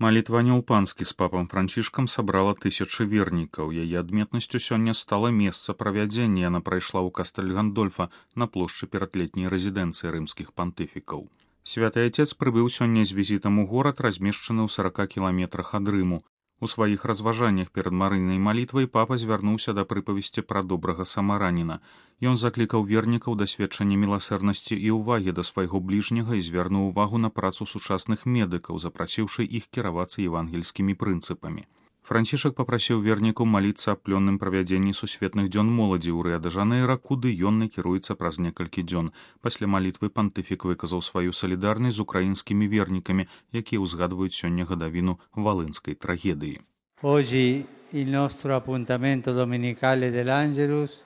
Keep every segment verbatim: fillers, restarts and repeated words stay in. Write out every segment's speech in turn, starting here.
Малітва Анёл-Панскі з папам Францішкам сабрала тысячы вернікаў. Яе адметнасцю сёння стала месца правядзення. Яна прайшла ў Кастэль Гандольфа на плошчы перад летняй рэзідэнцыі рымскіх пантыфікаў. Святы Айцец прыбыў сёння з візітам у горад, размешчаны ў сарака кіламетрах ад Рыму. У сваіх разважаннях перад марыйнай малітвай папа звярнуўся да прыпавесці пра добрага самараніна. Ён заклікаў вернікаў да сведчання міласэрнасці і ўвагі да свайго бліжняга і звярнуў увагу на працу сучасных медыкаў, запрасіўшы іх кіравацца евангельскімі прынцыпамі. Францішак папрасіў вернікаў маліцца аб плённым правядзенні сусветных дзён моладзі ў Рыа-дэ-Жанэйра, куды ён накіруецца праз некалькі дзён. Пасля малітвы пантыфік выказаў сваю салідарнасць з украінскімі вернікамі, якія ўзгадваюць сёння гадавіну валынскай трагедыі. Oggi il nostro appuntamento domenicale dell'Angelus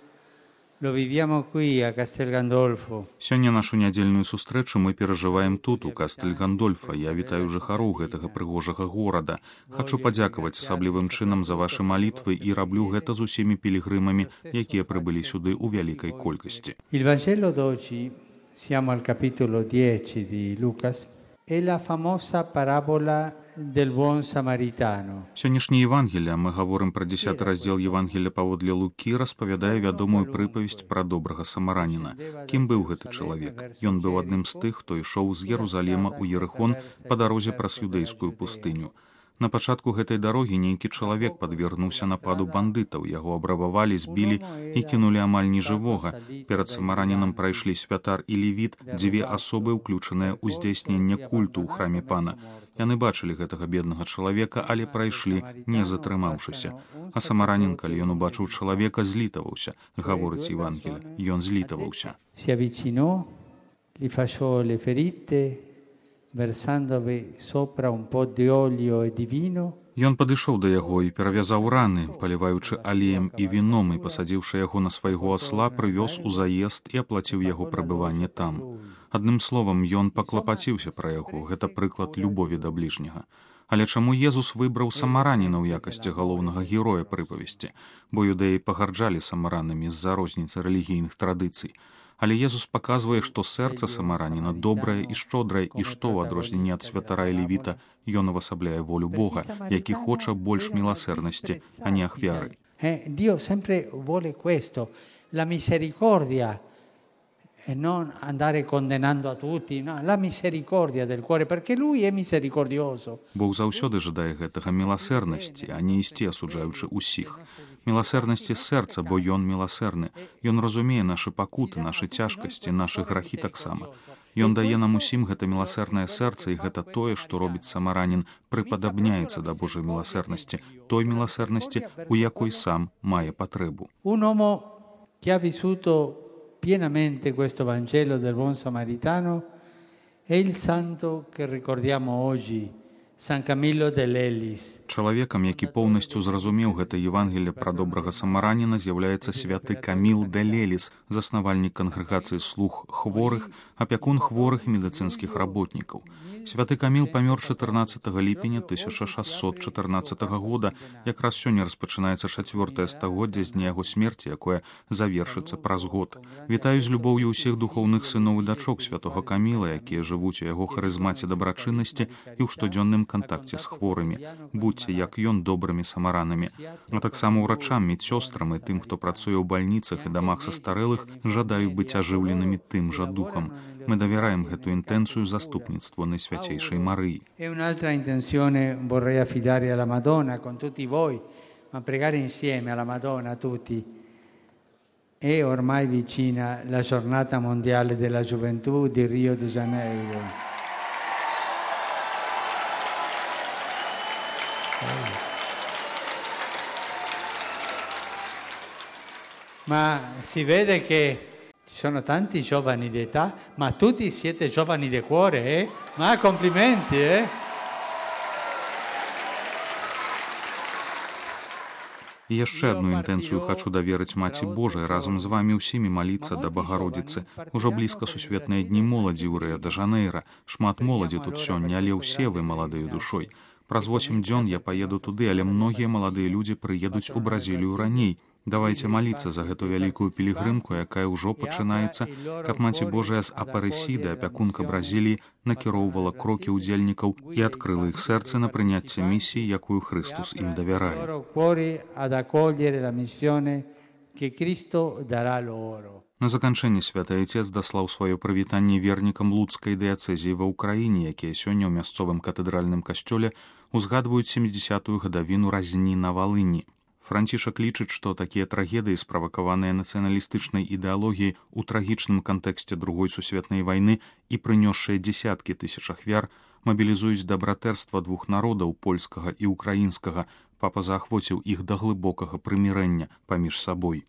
lo viviamo qui a Castel Gandolfo. Сёння нашу нядзельную сустрэчу мы перажываем тут, у Кастэль Гандольфа. Я вітаю жыхароў гэтага прыгожага горада. Хачу падзякаваць асаблівым чынам за вашы малітвы і раблю гэта з усімі пілігрымамі, якія прыбылі сюды ў вялікай колькасці. Il Vangelo d'oggi, siamo al capitolo dieci di Lucas, è la famosa parabola del buon samaritano. Сённяшняе Евангелие, мы гаворым пра дзесяты раздзел Евангелия паводле Лукі, распавядае вядомую прыпавесць пра добрага самараніна. Кім быў гэты чалавек? Ён быў адным з тых, хто ішоў з Єрусалема ў Єрихон па дарозе праз юдэйскую пустыню. На пачатку гэтай дарогі нейкі чалавек падвергнуўся нападу бандытаў, яго абрабавалі, збілі і кінулі амаль нежывога. Перад самаранінам прайшлі святар і левіт, дзве асобы, уключаныя ў здзяйсненне культу ў храме пана. Яны бачылі гэтага беднага чалавека, але прайшлі, не затрымаўшыся. А самаранін, калі ён убачыў чалавека, злітаваўся, гаворыць Евангелие. Ён злітаваўся. Si avvicinò, gli fasciò le ferite, versandovi sopra un po' di olio e di vino. Ён падышоў да яго і перавязаў раны, паліваючы алеем і віном, і пасадзіўшы яго на свайго асла, прывёз у заезд і аплаціў яго прабыванне там. Адным словам, ён паклапаціўся пра яго, гэта прыклад любові да бліжняга. Але чаму Езус выбраў самараніна ў якасці галоўнага героя прыпавесці? Бо юдэі пагарджалі самаранамі з-за розніцы рэлігійных традыцый. Але Езус паказвае, што сэрца самараніна добрае і шчодрае, і што ў адрозненні ад святара і левіта ён увасабляе волю Бога, які хоча больш міласэрнасці, а не ахвяры. Dio sempre vuole questo, la misericordia e non andare condannando a tutti, no, la misericordia del cuore, perché lui è misericordioso. Бог заўсёды жадае гэтага міласэрнасці, а не ісці асуджаючы ўсіх. Міласэрнасці сэрца, бо ён міласэрны. Ён разумее нашы пакуты, нашы цяжкасці, нашы грахі таксама. Ён дае нам усім гэта міласэрнае сэрца, і гэта тое, што робіць самаранін, прыпадабняецца да Божай міласэрнасці, той міласэрнасці, у якой сам мае патрэбу. Un uomo che ha vissuto pienamente questo Vangelo del buon samaritano è il santo che ricordiamo oggi, San Camillo dell'Ellis. Чалавекам, які поўнасцю зразумеў гэта Евангелие пра добрага самараніна, з'яўляецца святы Каміл де Леліс, заснавальнік кангрэгацыі слуг хворых, апякун хворых і медыцынскіх работнікаў. Святы Каміл памёр чатырнаццатага ліпеня тысяча шасцьсот чатырнаццатага года, якраз сёння распачынаецца чацвёртае стагоддзе з дня яго смерці, якое завершыцца праз год. Вітаю з любоўю ўсіх духоўных сыноў і дачок святога Каміла, якія жывуць у яго харызмаце дабрачыннасці і ў штодзённым кантакце з хворымі. Будьце, як ён, добрымі самаранамі. А таксама ўрачам, медсёстрам і тым, хто працуе ў бальніцах і дамах састарэлых, жадаю быць ажыўленымі тым жа духам. Мы давяраем гэту інтэнцыю заступніцтву Найсвяцейшай Марыі. E un'altra intenzione vorrei affidare alla Madonna con tutti voi, ma pregare insieme alla Madonna tutti. È ormai vicina la giornata mondiale della gioventù di Rio de Janeiro. Ma si vede che ci sono tanti giovani d'età, ma tutti siete giovani di cuore, eh? Ma complimenti, eh? І яшчэ адну інтэнцыю хачу даверыць Маці Божай, разам з вамі ўсімі маліцца да Багародзіцы. Ужо блізка сусветныя дні моладзі ў Рыа-дэ-Жанэйра. Шмат моладзі тут сёння, але ўсе вы маладыя душой. Праз восем дзён я паеду туды, але многія маладыя людзі прыедуць у Бразілію раней. Давайте маліцца за гэту вялікую пілігрымку, якая ўжо пачынаецца, каб Маці Божая з Апарэсіды, апякунка Бразіліі, накіроўвала крокі ўдзельнікаў і адкрыла іх сэрцы на прыняцце місіі, якую Хрыстус ім давярае. На заканчэнне святы Айцец даслаў сваё прывітанне вернікам Луцкай дыяцэзіі ва ўкраіне, якія сёння ў мясцовым катэдральным касцёле узгадваюць сямідзясятую гадавіну разні на Валыні. Францішак лічыць, што такія трагедыі, справакаваныя нацыяналістычнай ідэалогіяй у трагічным кантэксце другой сусветнай вайны і прынёсшыя дзесяткі тысяч ахвяр, мабілізуюць дабратэрства двух народаў, польскага і ўкраінскага. Папа заахвоціў іх да глыбокага прымірэння паміж сабой.